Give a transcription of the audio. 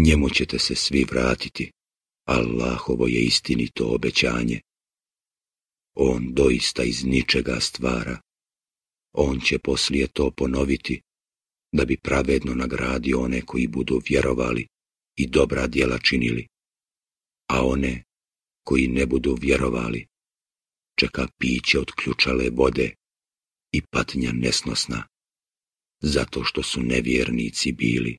Njemu ćete se svi vratiti. Allahovo je istinito obećanje. On doista iz ničega stvara. On će poslije to ponoviti, da bi pravedno nagradio one koji budu vjerovali i dobra djela činili, a one koji ne budu vjerovali čeka piće od ključale vode i patnja nesnosna, zato što su nevjernici bili.